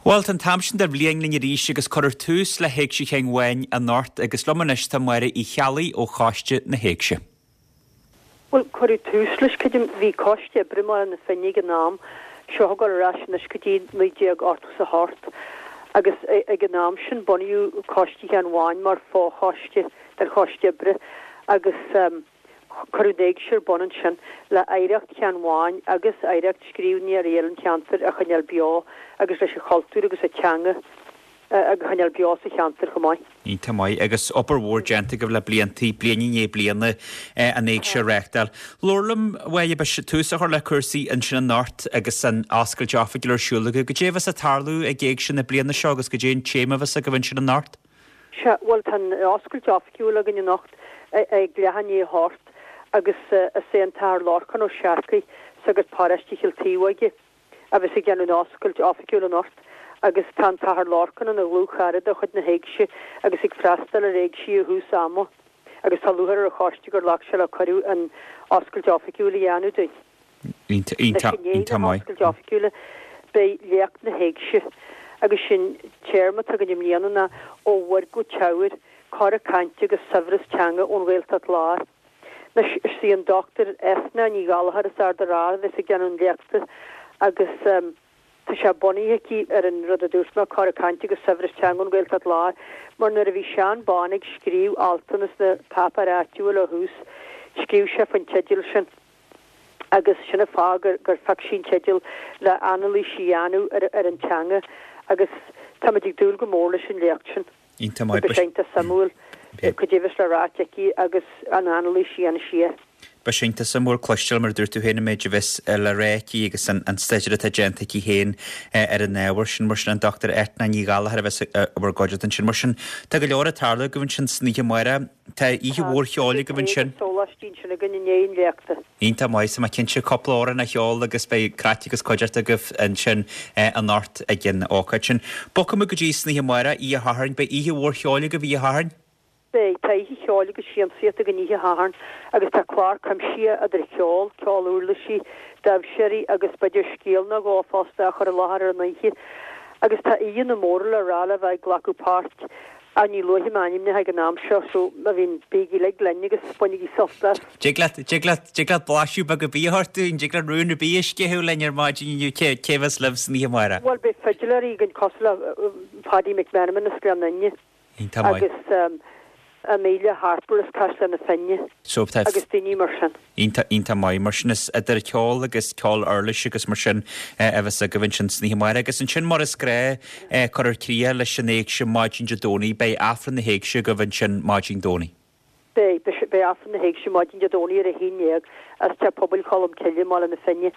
Bhuel, tá an t-am sin de bhliain linn arís agus cuirfear tús le hÉigse Sheáin Bháin anocht agus liom anois tá Máire Uí Cheallaigh ó Choiste na hÉigse. Bhuel, cuireadh tús leis, creidim, bhí coiste oibre i mBaile na Finne ag an am, seo ag dul ar ais anois go dtí 1988, agus ag an am sin bunaíodh Coiste Sheáin Bháin mar fho-choiste den choiste oibre agus, Cuireadh an Éigse ar bun ansin le hoidhreacht Sheáin Bháin agus oidhreacht scríbhneoirí eile an cheantair a choinneáil beo agus leis an chultúr agus an teanga a choinneáil beo sa cheantar chomh maith. Iontach maith agus obair mhór déanta agaibh le bliantaí, bliain i ndiaidh bliana, an Éigse a reáchtáil. Labhair liom, a Mháire, beidh tús á chur le cúrsaí ansin anocht agus an oscailt oifigiúil ar siúl agaibh. Goidé a bheas ag tarlú ag Éigse na bliana seo agus goidé an téama a bheas agaibh ansin anocht? Sea, bhuel, tá an oscailt oifigiúil againn anocht ag leath i ndiaidh a hocht agus is é an tAthair Lorcán Ó Searcaigh, sagart paróiste Chill Taobhóige, a bheas ag déanamh an oscailt oifigiúil anocht agus tá an tAthair Lorcán ina dhlúthchara de chuid na hÉigse agus ag freastal ar éigsí ó thús ama agus tá lúcháir ar an choiste gur ghlac sé le cuireadh an oscailt oifigiúil a dhéanamh dúinn. Iontach, iontach, iontach maith. Anois i ndiaidh na hoscailte oifigiúla beidh léacht na hÉigse agus sé'n téarma atá againn i mbliana ná Ó Mhuir go Teamhair, Cora Cainte agus Saibhreas Teanga ón Ghaeltacht Láir. Anois is í an Dr Eithne Ní Ghallchóir as Ard an Rátha a bheas ag déanamh an léachta agus tá sé bunaithe aici ar an rud a dúirt mé, Cora Cainte agus Saibhreas Teanga ón Ghaeltacht Láir, mar nuair a bhí Seán Bán ag scríobh altanna sna páipéir áitiúil ó thús, scríobh sé faoin teideal sin. agus sin an fáth gur gur phioc sí an teideal le anailís a dhéanamh ar ar an teanga agus táimid ag dúil go mór leis an léacht sin. Iontach maith. Beidh sé iontach suimiúil goidé a bheas le ráit aici agus an anailís a dhéanfaidh sí air. Beidh sé iontach suimiúil cloisteáil mar a dúirt tú féin an méid a bheas le rá aici agus an an staidéar atá déanta aici féin ar an ábhar sin. Mar sin an Dr Eithne Ní Ghallchóir a bheas i bhur gcuideachta ansin. Mar sin tá go leor ag tarlú agaibh ansin san oíche amárach. Tá oíche mhór cheoil agaibh ansin. Tá sóláistí ansin againn i ndiaidh an léachta. Iontach maith, so tá mé cinnte cúpla amhrán a cheol agus beidh craic agus cuideachta agaibh ansin anocht ag an ócáid sin. Bogfaidh muid go dtí san oíche amárach, oíche Shathairn. Beidh oíche mhór cheoil agaibh oíche Shathairn? Beidh. Tá oíche cheoil agus siamsaíocht againn oíche Shathairn agus tá clár cuimsithe idir cheol, ceol uirlisí, damhsóirí agus b'fhéidir scéal nó dhó fosta á chur i láthair ar an oíche. Agus tá aíonna móra le rá le bheith ag glacadh páirt Ach ní luafaidh mé ainmneacha ag an am seo, so má bhíonn, bígí uilig linn agus bainigí sult as. Dtig leat, dtig leat, dtig leat blaiseadh beag ar bith a thabhairt dúinn, dtig leat rún ar bith a sceitheadh linn ar maidin inniu, cé, cé bheas libh san oíche amárach? Bhuel, beidh fidiléirí againn cosúil le Paddy McMenamin as Gleann Fhinne Iontach maith. agus Amelia Harper as Caisleán na Finne So tá agus daoine mar sin. Iontach, iontach maith. Mar sin is idir ceol agus ceol uirlise agus mar sin a bheas agaibh ansin san oíche amárach. Agus ansin mar is gnách cuirfear críoch leis an Éigse maidin Dé Domhnaigh. Beidh Aifreann na hÉigse agaibh ansin maidin Domhnaigh. Beidh, beidh Aifreann na hÉigse maidin Dé Domhnaigh ar a 11 as Teach Pobail Cholm Cille i mBaile na Finne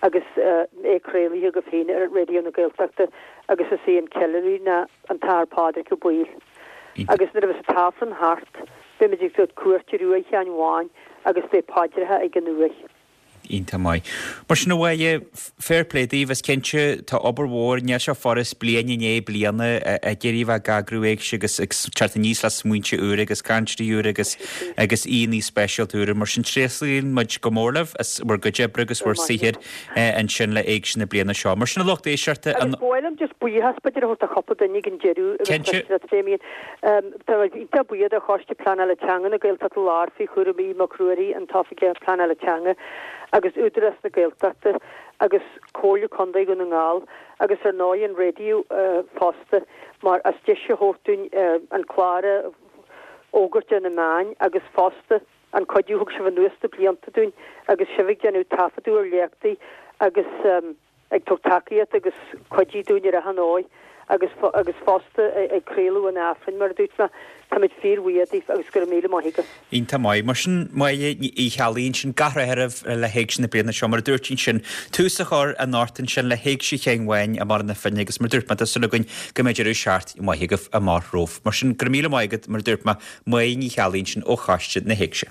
agus é craolaithe agaibh féin ar Raidió na Gaeltachta agus is é an ceiliúraí ná an tAthair Pádraig Ó Baoill. Agus nuair a bheas an t-Aifreann thart, beimid ag tabhairt cuairt ar uaigh Sheáin Bháin agus beidh paidreacha ag an uaigh. Iontach maith. Mar sin a Mháire, fair play daoibh, is cinnte, tá obair mhór, níl sé furast bliain i ndiaidh bliana ag iarraidh a bheith ag eagrú éigse agus ag teacht aníos le smaointe úra agus cainteoirí úra agus agus aíonna speisialta úra. Mar sin tréaslaíonn muid go mór libh as bhur gcuid oibre agus bhur saothair ansin le Éigse na bliana seo. Mar sin a lucht éisteachta, an. Agus ba mhaith liom just buíochas b'fhéidir a thabhairt do chúpla duine ag an deireadh agus Cinnte. leis leat Damien. Tá muid iontach buíoch do Choiste Pleanála Teanga na Gaeltachta Láir faoi chúram Aodh Mac Ruairí, an tOifigeach Pleanála Teanga, agus Údarás na Gaeltachta agus Comhairle Contae Dhún na nGall agus ar ndóigh an raidió fosta mar as deis a thabhairt dúinn an clár a fhógairt ar na meáin agus fosta an cuidiú a thug sibh anuas na blianta dúinn agus sibh ag déanamh taifeadadh ar léachtaí agus ag tabhairt tacaíocht agus cuidiú dúinn ar achan dóigh agus agus fosta ag craoladh an Aifrinn mar a dúirt mé. Táimid fíorbhuíoch daoibh agus go raibh míle maith agaibh. Iontach maith. Mar sin, Máire Uí Cheallaigh ansin, gach rath oraibh le hÉigse na bliana seo. Mar a dúirt ansin, tús á chur anocht ansin le hÉigse Sheáin Bháin i mBaile na Finne agus mar a dúirt mé, tá súil againn go mbeidh deireadh seachtaine maith agaibh amach romhaibh. Mar sin, go raibh míle maith agat, mar a dúirt mé, Máire Ní Cheallaigh ansin ó Choiste na hÉigse.